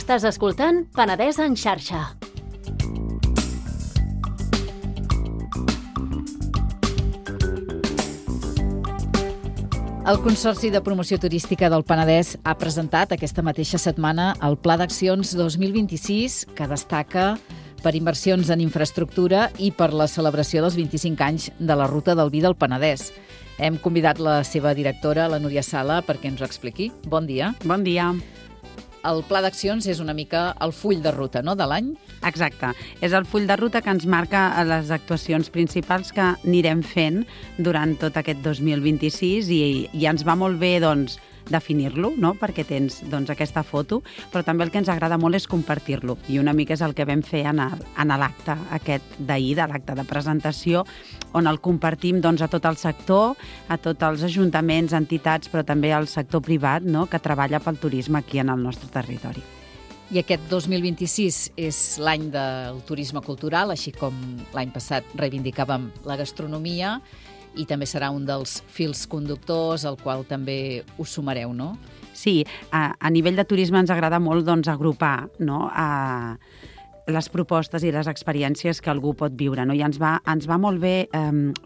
Estàs escoltant Penedès en xarxa. El Consorci de Promoció Turística del Penedès ha presentat aquesta mateixa setmana el Pla d'Accions 2026, que destaca per inversions en infraestructura i per la celebració dels 25 anys de la Ruta del Vi del Penedès. Hem convidat la seva directora, la Núria Sala, perquè ens ho expliqui. Bon dia. Bon dia. El Pla d'Accions és una mica el full de ruta, no?, de l'any? Exacte. És el full de ruta que ens marca les actuacions principals que anirem fent durant tot aquest 2026 i ens va molt bé, doncs, definir-lo, no?, perquè tens aquesta foto, però també el que ens agrada molt és compartir-lo. I una mica és el que vam fer en l'acte aquest d'ahir, de l'acte de presentació, on el compartim a tot el sector, a tots els ajuntaments, entitats, però també al sector privat, no?, que treballa pel turisme aquí en el nostre territori. I aquest 2026 és l'any del turisme cultural, així com l'any passat reivindicàvem la gastronomia, i també serà un dels fils conductors al qual també us sumareu, no? Sí, a nivell de turisme ens agrada molt agrupar, no?, les propostes i les experiències que algú pot viure, no? I ens va molt bé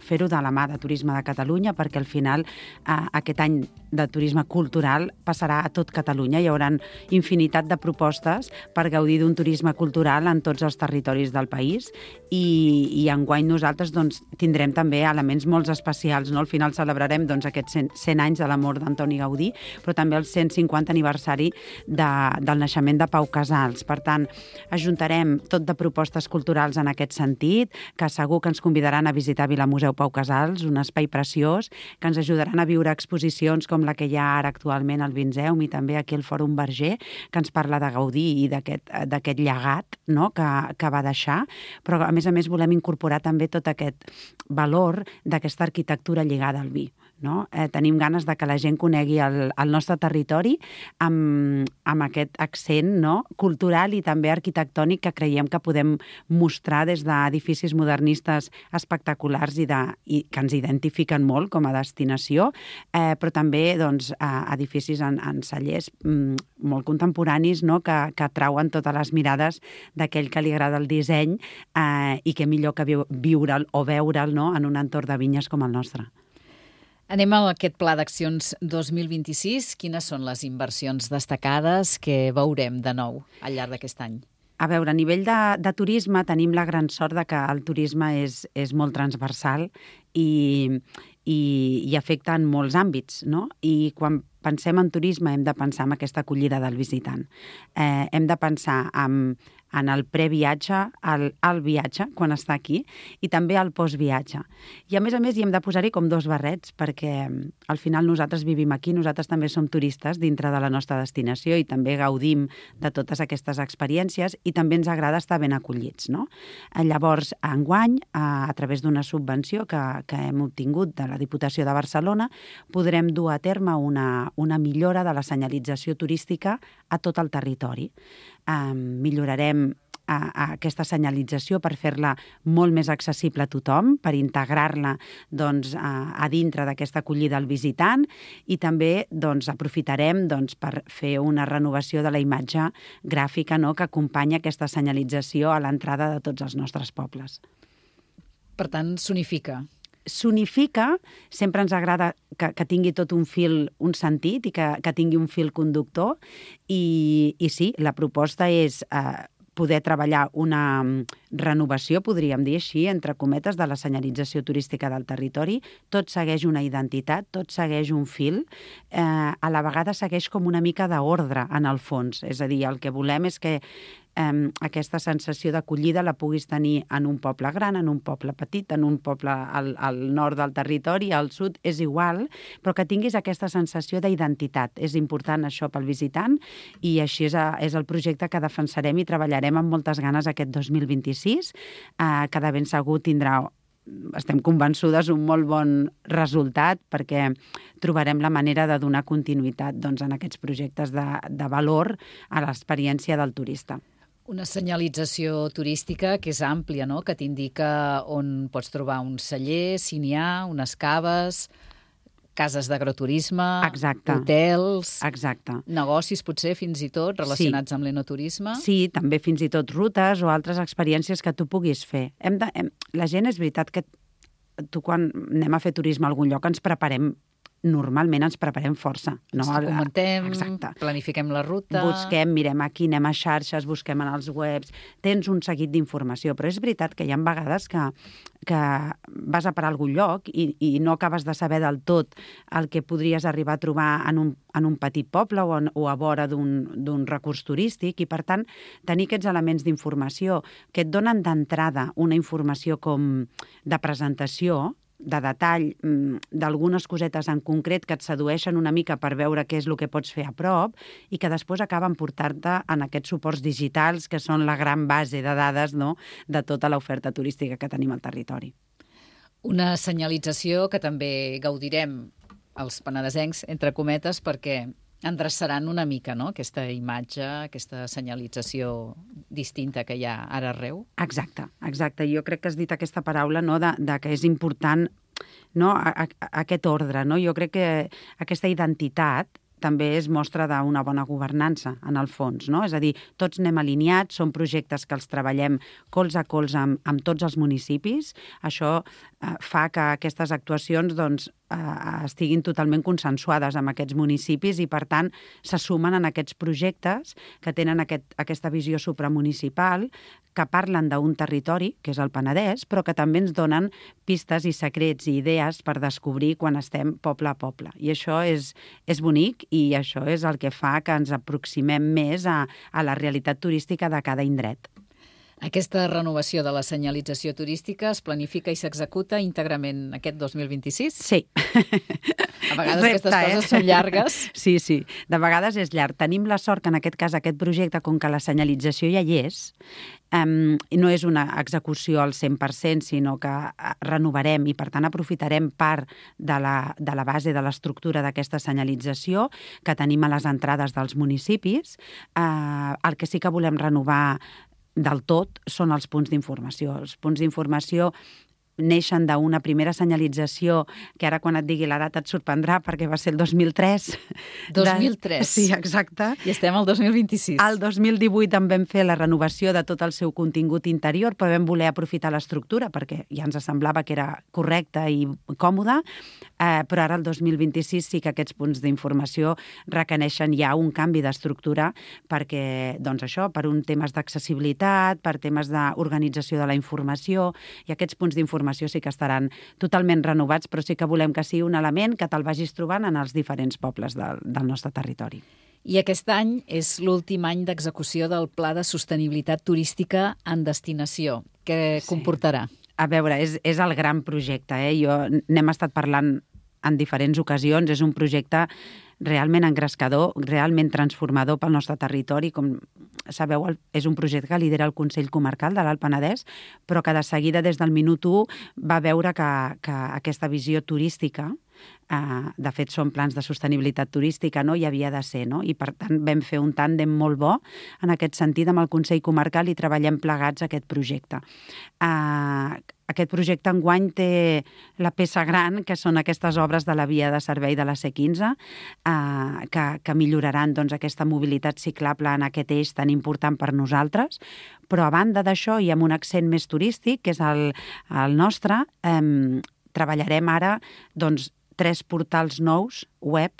fer-ho de la mà de Turisme de Catalunya, perquè al final aquest any de turisme cultural passarà a tot Catalunya. Hi haurà infinitat de propostes per gaudir d'un turisme cultural en tots els territoris del país i enguany nosaltres tindrem també elements molt especials, no? Al final celebrarem aquests 100 anys de la mort d'Antoni Gaudí, però també el 150 aniversari del naixement de Pau Casals. Per tant, ajuntarem tot de propostes culturals en aquest sentit, que segur que ens convidaran a visitar Vilamuseu Pau Casals, un espai preciós, que ens ajudaran a viure exposicions com la que hi ha ara actualment al Vinzeum i també aquí al Fòrum Verger, que ens parla de Gaudí i d'aquest llegat, no?, que va deixar, però a més volem incorporar també tot aquest valor d'aquesta arquitectura lligada al vi. No? Tenim ganes de que la gent conegui el nostre territori amb aquest accent, no?, cultural i també arquitectònic que creiem que podem mostrar des d'edificis modernistes espectaculars i que ens identifiquen molt com a destinació, però també edificis en cellers molt contemporanis, no?, que atrauen totes les mirades d'aquell que li agrada el disseny i que millor que viure'l o veure'l, no?, en un entorn de vinyes com el nostre. Anem a aquest Pla d'Accions 2026. Quines són les inversions destacades que veurem de nou al llarg d'aquest any? A veure, a nivell de turisme tenim la gran sort de que el turisme és molt transversal i afecta en molts àmbits, no? I quan pensem en turisme hem de pensar en aquesta acollida del visitant. Hem de pensar en el previatge, al viatge, quan està aquí, i també al postviatge. I a més hi hem de posar-hi com dos barrets, perquè al final nosaltres vivim aquí, nosaltres també som turistes dintre de la nostra destinació i també gaudim de totes aquestes experiències i també ens agrada estar ben acollits, no? Llavors, enguany, a través d'una subvenció que hem obtingut de la Diputació de Barcelona, podrem dur a terme una millora de la senyalització turística a tot el territori. Millorarem aquesta senyalització per fer-la molt més accessible a tothom, per integrar-la a dintre d'aquesta acollida al visitant i també aprofitarem per fer una renovació de la imatge gràfica, no?, que acompanya aquesta senyalització a l'entrada de tots els nostres pobles. Per tant, s'unifica. S'unifica, sempre ens agrada que tingui tot un fil, un sentit i que tingui un fil conductor i sí, la proposta és poder treballar una renovació, podríem dir així, entre cometes, de la senyalització turística del territori. Tot segueix una identitat, tot segueix un fil, a la vegada segueix com una mica d'ordre en el fons. És a dir, el que volem és que aquesta sensació d'acollida la puguis tenir en un poble gran, en un poble petit, en un poble al nord del territori, al sud, és igual, però que tinguis aquesta sensació d'identitat. És important això pel visitant i així és el projecte que defensarem i treballarem amb moltes ganes aquest 2026, que de ben segur tindrà, estem convençudes, un molt bon resultat perquè trobarem la manera de donar continuïtat en aquests projectes de valor a l'experiència del turista. Una senyalització turística que és àmplia, no?, que t'indica on pots trobar un celler, si n'hi ha, unes caves. cases d'agroturisme, Exacte. hotels, Exacte. negocis potser fins i tot relacionats amb l'enoturisme. Sí, també fins i tot rutes o altres experiències que tu puguis fer. La gent, és veritat que tu quan anem a fer turisme a algun lloc normalment ens preparem força. Ens documentem, Exacte. planifiquem la ruta... Busquem, mirem aquí, anem a xarxes, busquem en els webs, tens un seguit d'informació, però és veritat que hi ha vegades que vas a parar a algun lloc i no acabes de saber del tot el que podries arribar a trobar en un petit poble o a vora d'un recurs turístic, i per tant tenir aquests elements d'informació que et donen d'entrada una informació com de presentació, de detall, d'algunes cosetes en concret que et sedueixen una mica per veure què és el que pots fer a prop i que després acaben portant-te en aquests suports digitals que són la gran base de dades, no?, de tota l'oferta turística que tenim al territori. Una senyalització que també gaudirem els penedesencs, entre cometes, perquè endreçaran una mica, no?, aquesta imatge, aquesta senyalització distinta que hi ha ara arreu. Exacte. Jo crec que has dit aquesta paraula, no?, de que és important, no?, aquest ordre, no? Jo crec que aquesta identitat també és mostra d'una bona governança, en el fons, no? És a dir, tots anem alineats, són projectes que els treballem colze a colze amb tots els municipis. Això fa que aquestes actuacions doncs, estiguin totalment consensuades amb aquests municipis i, per tant, se sumen en aquests projectes que tenen aquesta visió supramunicipal, que parlen d'un territori, que és el Penedès, però que també ens donen pistes i secrets i idees per descobrir quan estem poble a poble. I això és bonic i això és el que fa que ens aproximem més a la realitat turística de cada indret. Aquesta renovació de la senyalització turística es planifica i s'executa íntegrament aquest 2026? Sí. A vegades aquestes coses són llargues. Sí. De vegades és llarg. Tenim la sort que en aquest cas aquest projecte, com que la senyalització ja hi és, no és una execució al 100%, sinó que renovarem i, per tant, aprofitarem part de la base de l'estructura d'aquesta senyalització que tenim a les entrades dels municipis. El que sí que volem renovar del tot són els punts d'informació. Els punts d'informació neixen d'una primera senyalització que ara quan et digui la data et sorprendrà perquè va ser el 2003. 2003? Sí, exacte. I estem al 2026. Al 2018 en vam fer la renovació de tot el seu contingut interior, però vam voler aprofitar l'estructura perquè ja ens semblava que era correcte i còmode, però ara el 2026 sí que aquests punts d'informació requereixen ja un canvi d'estructura perquè, doncs això, per un temes d'accessibilitat, per temes d'organització de la informació, i aquests punts d'informació sí que estaran totalment renovats, però sí que volem que sigui un element que te'l vagis trobant en els diferents pobles del nostre territori. I aquest any és l'últim any d'execució del Pla de Sostenibilitat Turística en Destinació. Què comportarà? A veure, és el gran projecte. N'hem estat parlant en diferents ocasions. És un projecte realment engrescador, realment transformador pel nostre territori. Com sabeu, és un projecte que lidera el Consell Comarcal de l'Alt Penedès, però que de seguida, des del minut 1, va veure que aquesta visió turística, de fet són plans de sostenibilitat turística, no? Hi havia de ser, no? I per tant vam fer un tàndem molt bo en aquest sentit amb el Consell Comarcal i treballem plegats aquest projecte. Aquest projecte enguany té la peça gran, que són aquestes obres de la via de servei de la C15, que milloraran doncs, aquesta mobilitat ciclable en aquest eix tan important per nosaltres, però a banda d'això i amb un accent més turístic, que és el nostre, treballarem ara doncs, 3 portals nous web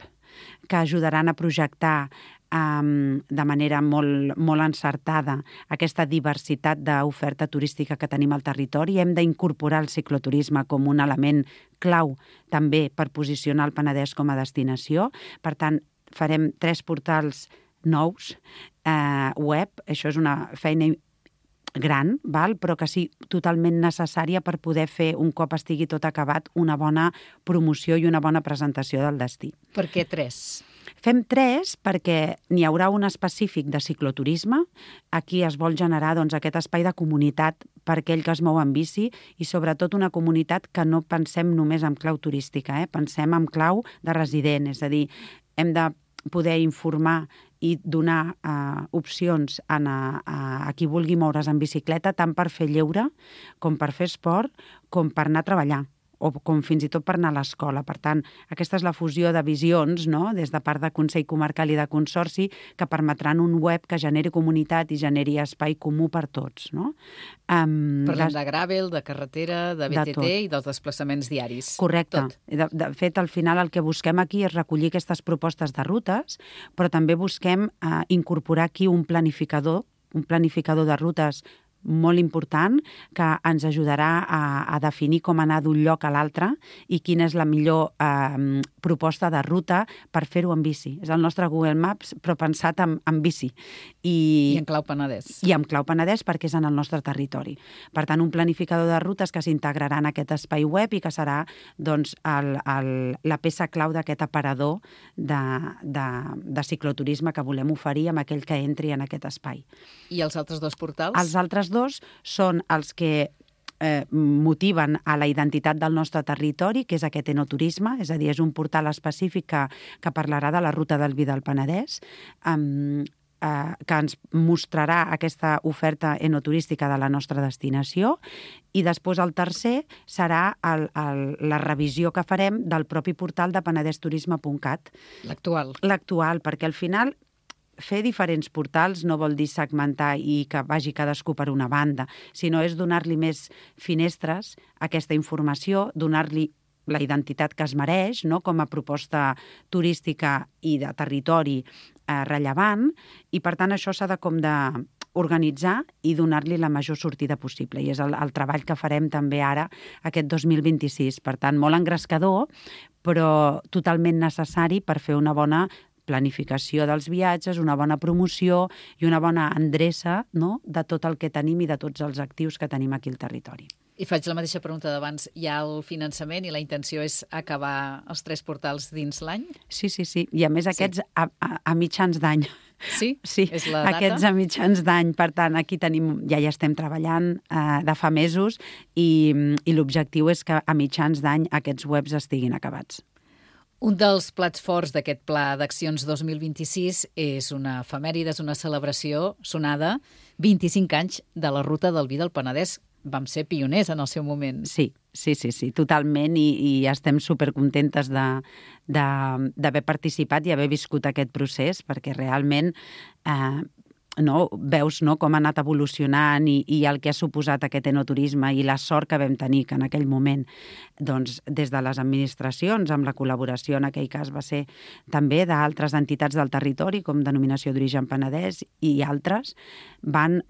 que ajudaran a projectar de manera molt encertada aquesta diversitat d'oferta turística que tenim al territori. Hem d'incorporar el cicloturisme com un element clau també per posicionar el Penedès com a destinació. Per tant, farem 3 portals nous web. Això és una feina gran, però que sí totalment necessària per poder fer, un cop estigui tot acabat, una bona promoció i una bona presentació del destí. Per què 3? Fem 3 perquè n'hi haurà un específic de cicloturisme. Aquí es vol generar aquest espai de comunitat per aquell que es mou en bici i sobretot una comunitat que no pensem només en clau turística, pensem en clau de resident, és a dir, hem de poder informar i donar opcions a qui vulgui moure's en bicicleta, tant per fer lleure, com per fer esport, com per anar a treballar. o com fins i tot per anar a l'escola. Per tant, aquesta és la fusió de visions, no?, des de part de Consell Comarcal i de Consorci, que permetran un web que generi comunitat i generi espai comú per tots, no? Parlem de gravel, de carretera, de BTT i dels desplaçaments diaris. Correcte. De fet, al final el que busquem aquí és recollir aquestes propostes de rutes, però també busquem incorporar aquí un planificador de rutes molt important que ens ajudarà a definir com anar d'un lloc a l'altre i quina és la millor proposta de ruta per fer-ho en bici. És el nostre Google Maps, però pensat en bici. I en clau Penedès. I en clau Penedès perquè és en el nostre territori. Per tant, un planificador de rutes que s'integrarà en aquest espai web i que serà doncs, la peça clau d'aquest aparador de cicloturisme que volem oferir amb aquell que entri en aquest espai. I els altres dos portals? Els altres dos són els que motiven a la identitat del nostre territori, que és aquest enoturisme, és a dir, és un portal específic que parlarà de la ruta del vi del Penedès, que ens mostrarà aquesta oferta enoturística de la nostra destinació, i després el tercer serà la revisió que farem del propi portal de penedesturisme.cat. L'actual, perquè al final fer diferents portals no vol dir segmentar i que vagi cadascú per una banda, sinó és donar-li més finestres a aquesta informació, donar-li la identitat que es mereix, no?, com a proposta turística i de territori rellevant, i per tant això s'ha de organitzar i donar-li la major sortida possible. I és el treball que farem també ara, aquest 2026. Per tant, molt engrescador, però totalment necessari per fer una bona planificació dels viatges, una bona promoció i una bona endreça, no?, de tot el que tenim i de tots els actius que tenim aquí al territori. I faig la mateixa pregunta d'abans. Hi ha el finançament i la intenció és acabar els 3 portals dins l'any? Sí. I a més aquests a mitjans d'any. Sí? És la data? Aquests a mitjans d'any. Per tant, aquí ja estem treballant de fa mesos i l'objectiu és que a mitjans d'any aquests webs estiguin acabats. Un dels plats forts d'aquest Pla d'Accions 2026 és una efemèride, és una celebració sonada, 25 anys de la Ruta del Vi del Penedès. Vam ser pioners en el seu moment. Sí, totalment, i estem supercontentes d'haver participat i haver viscut aquest procés, perquè realment veus com ha anat evolucionant i el que ha suposat aquest enoturisme i la sort que vam tenir, que en aquell moment, doncs, des de les administracions, amb la col·laboració en aquell cas va ser també d'altres entitats del territori, com Denominació d'Origen Penedès i altres, van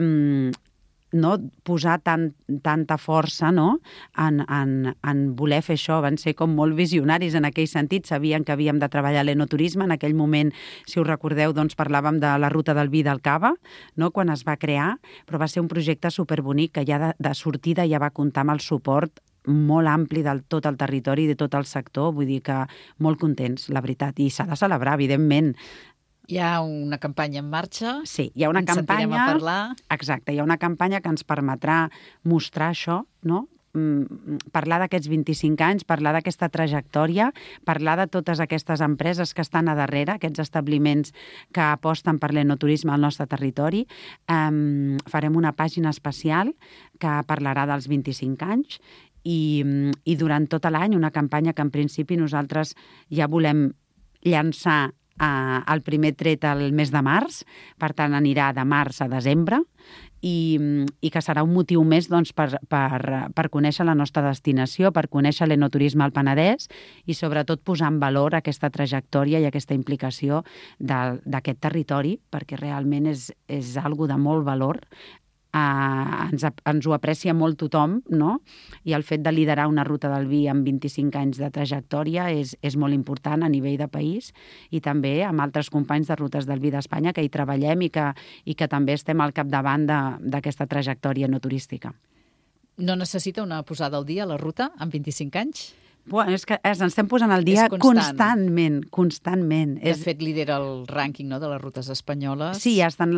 posar tanta força en voler fer això. Van ser com molt visionaris en aquell sentit, sabien que havíem de treballar l'enoturisme. En aquell moment, si us recordeu, doncs parlàvem de la ruta del vi del Cava, quan es va crear, però va ser un projecte superbonic que ja de sortida ja va comptar amb el suport molt ampli de tot el territori i de tot el sector, vull dir que molt contents, la veritat, i s'ha de celebrar, evidentment. Hi ha una campanya en marxa? Sí, hi ha una campanya... Ens sentirem a parlar? Exacte, hi ha una campanya que ens permetrà mostrar això, no?, parlar d'aquests 25 anys, parlar d'aquesta trajectòria, parlar de totes aquestes empreses que estan a darrere, aquests establiments que aposten per l'enoturisme al nostre territori. Farem una pàgina especial que parlarà dels 25 anys i durant tot l'any una campanya que en principi nosaltres ja volem llançar el primer tret al mes de març, per tant anirà de març a desembre, i que serà un motiu més per conèixer la nostra destinació, per conèixer l'enoturisme al Penedès i sobretot posar en valor aquesta trajectòria i aquesta implicació d'aquest territori, perquè realment és algo de molt valor. Ens ho aprecia molt tothom, no? I el fet de liderar una ruta del vi amb 25 anys de trajectòria és molt important a nivell de país i també amb altres companys de Rutes del Vi d'Espanya que hi treballem i que també estem al capdavant d'aquesta trajectòria no turística. No necessita una posada al dia a la ruta amb 25 anys? Bueno, és que ens estem posant al dia constantment. De fet, lidera el rànquing de les rutes espanyoles. Sí, ja estan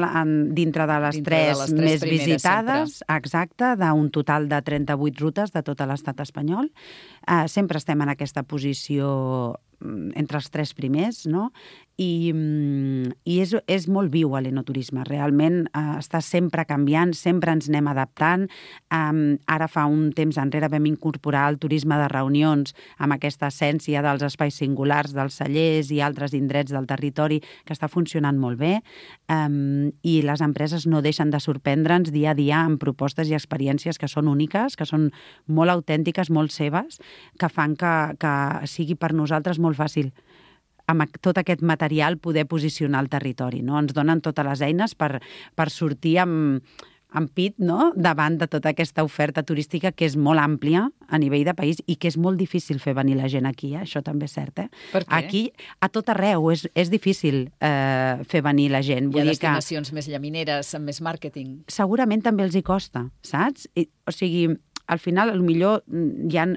dintre de les tres més visitades, exacte, d'un total de 38 rutes de tot l'estat espanyol. Sempre estem en aquesta posició entre els 3 primers, no? I és molt viu l'enoturisme. Realment està sempre canviant, sempre ens anem adaptant. Ara fa un temps enrere vam incorporar el turisme de reunions amb aquesta essència dels espais singulars, dels cellers i altres indrets del territori, que està funcionant molt bé. I les empreses no deixen de sorprendre'ns dia a dia amb propostes i experiències que són úniques, que són molt autèntiques, molt seves, que fan que sigui per nosaltres molt fàcil amb tot aquest material poder posicionar el territori, no? Ens donen totes les eines per sortir amb pit, no?, davant de tota aquesta oferta turística que és molt àmplia a nivell de país i que és molt difícil fer venir la gent aquí, això també és cert, Per què? Aquí, a tot arreu, és difícil fer venir la gent. Hi ha destinacions més llamineres, amb més màrqueting. Segurament també els hi costa, saps? O sigui, al final, potser hi ha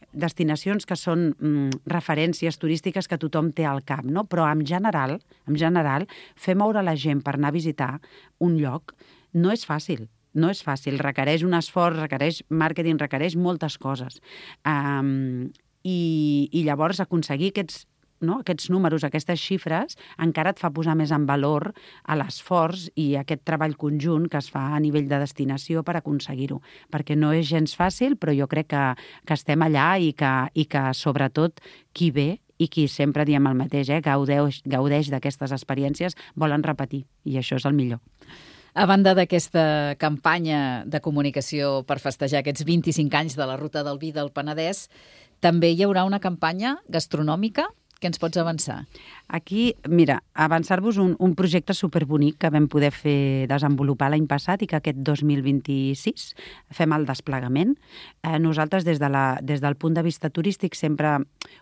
destinacions que són referències turístiques que tothom té al cap, no? Però en general, fer moure la gent per anar a visitar un lloc no és fàcil. No és fàcil, requereix un esforç, requereix màrqueting, requereix moltes coses. I llavors aconseguir aquests números, aquestes xifres, encara et fa posar més en valor a l'esforç i aquest treball conjunt que es fa a nivell de destinació per aconseguir-ho. Perquè no és gens fàcil, però jo crec que estem allà i que sobretot qui ve i qui sempre diem el mateix, gaudeix d'aquestes experiències, volen repetir, i això és el millor. A banda d'aquesta campanya de comunicació per festejar aquests 25 anys de la Ruta del Vi del Penedès, també hi haurà una campanya gastronòmica. Què ens pots avançar? Aquí, mira, avançar-vos un projecte superbonic que vam poder desenvolupar l'any passat i que aquest 2026 fem el desplegament. Nosaltres, des del punt de vista turístic, sempre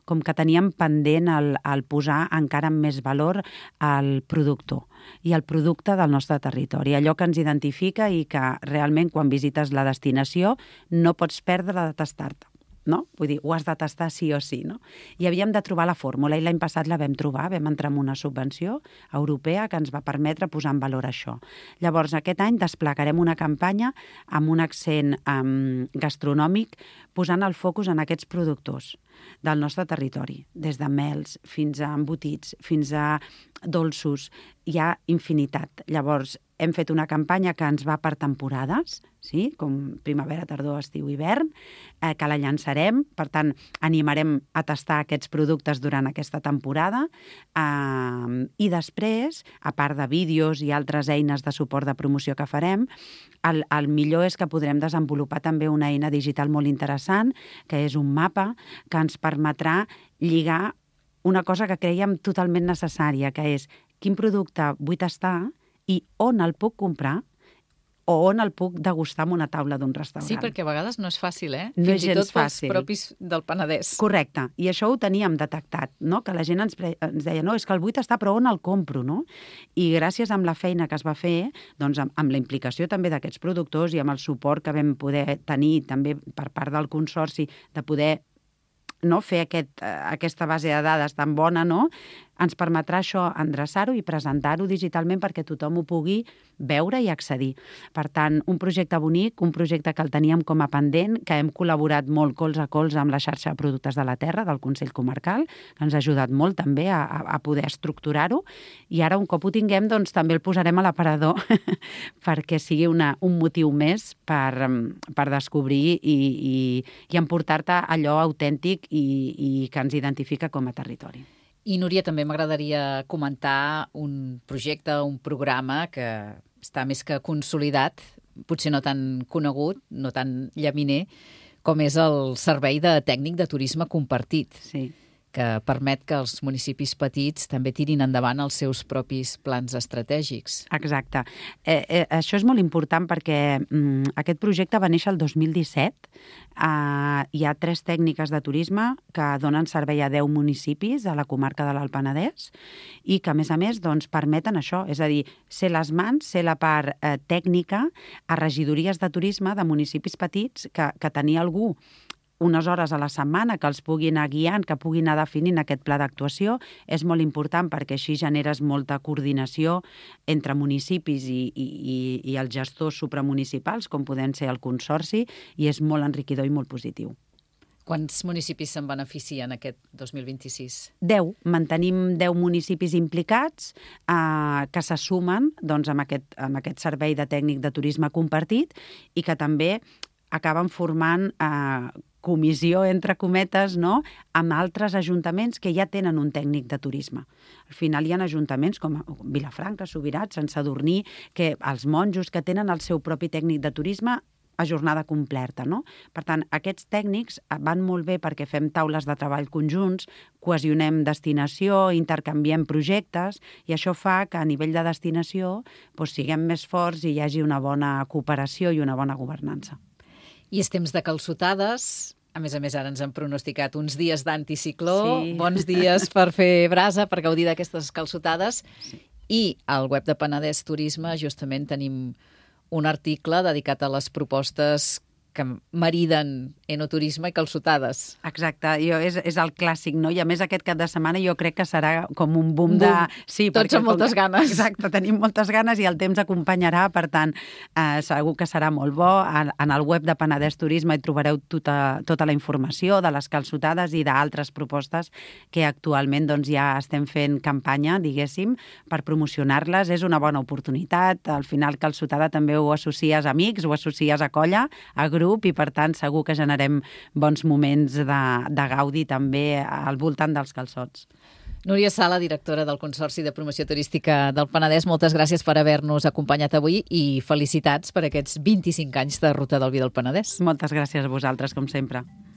com que teníem pendent el posar encara amb més valor al productor i al producte del nostre territori, allò que ens identifica i que realment quan visites la destinació no pots perdre de tastar-te. No? Vull dir, ho has de tastar sí o sí, no? I havíem de trobar la fórmula i l'any passat la vam trobar, vam entrar en una subvenció europea que ens va permetre posar en valor això. Llavors, aquest any desplegarem una campanya amb un accent gastronòmic posant el focus en aquests productors del nostre territori, des de mels fins a embotits, fins a dolços, hi ha infinitat. Llavors, hem fet una campanya que ens va per temporades, sí? Com primavera, tardor, estiu, hivern, que la llançarem, per tant, animarem a tastar aquests productes durant aquesta temporada i després, a part de vídeos i altres eines de suport de promoció que farem, el millor és que podrem desenvolupar també una eina digital molt interessant, que és un mapa que ens permetrà lligar una cosa que creiem totalment necessària, que és quin producte vull tastar i on el puc comprar o on el puc degustar en una taula d'un restaurant. Sí, perquè a vegades no és fàcil, No Fins és i tot gens fàcil. pels propis del Penedès. Correcte, i això ho teníem detectat, no? Que la gent ens deia, no, és que el vull tastar, però on el compro, no? I gràcies a la feina que es va fer, doncs amb la implicació també d'aquests productors i amb el suport que vam poder tenir també per part del Consorci de poder fer aquesta base de dades tan bona, ens permetrà això endreçar-ho i presentar-ho digitalment perquè tothom ho pugui veure i accedir. Per tant, un projecte bonic, un projecte que el teníem com a pendent, que hem col·laborat molt colze a colze amb la xarxa de productes de la terra del Consell Comarcal, que ens ha ajudat molt també a poder estructurar-ho, i ara un cop ho tinguem, doncs també el posarem a l'aparador perquè sigui un motiu més per descobrir i emportar-te allò autèntic i que ens identifica com a territori. I, Núria, també m'agradaria comentar un projecte, un programa que està més que consolidat, potser no tan conegut, no tan llaminer, com és el Servei de Tècnic de Turisme Compartit, Sí. que permet que els municipis petits també tirin endavant els seus propis plans estratègics. Exacte. Això és molt important perquè aquest projecte va néixer el 2017. Hi ha 3 tècniques de turisme que donen servei a 10 municipis a la comarca de l'Alt Penedès i que, a més, doncs, permeten això, és a dir, ser les mans, ser la part tècnica a regidories de turisme de municipis petits que tenir algú unes hores a la setmana que els pugui anar guiant, que pugui anar definint aquest pla d'actuació, és molt important perquè així generes molta coordinació entre municipis i els gestors supramunicipals, com poden ser el Consorci, i és molt enriquidor i molt positiu. Quants municipis se'n beneficien aquest 2026? 10. Mantenim 10 municipis implicats que se sumen doncs, amb aquest servei de tècnic de turisme compartit i que també acaben formant comissió, entre cometes, no?, amb altres ajuntaments que ja tenen un tècnic de turisme. Al final hi ha ajuntaments com Vilafranca, Subirats, Sant Sadurní, que els monjos que tenen el seu propi tècnic de turisme a jornada completa, no? Per tant, aquests tècnics van molt bé perquè fem taules de treball conjunts, cohesionem destinació, intercanviem projectes, i això fa que a nivell de destinació siguem més forts i hi hagi una bona cooperació i una bona governança. I és temps de calçotades. A més, ara ens han pronosticat uns dies d'anticicló, sí. Bons dies per fer brasa, per gaudir d'aquestes calçotades. Sí. I al web de Penedès Turisme justament tenim un article dedicat a les propostes que mariden enoturisme i calçotades. Exacte, és el clàssic, no? I a més aquest cap de setmana jo crec que serà com un boom de... Sí, tots amb moltes ganes. Exacte, tenim moltes ganes i el temps acompanyarà, per tant, segur que serà molt bo. En el web de Penedès Turisme hi trobareu tota la informació de les calçotades i d'altres propostes que actualment doncs, ja estem fent campanya, diguéssim, per promocionar-les. És una bona oportunitat. Al final, calçotada també ho associes a amics, ho associes a colla, a grup, i per tant segur que generem bons moments de gaudi també al voltant dels calçots. Núria Sala, directora del Consorci de Promoció Turística del Penedès, moltes gràcies per haver-nos acompanyat avui i felicitats per aquests 25 anys de Ruta del Vi del Penedès. Moltes gràcies a vosaltres, com sempre.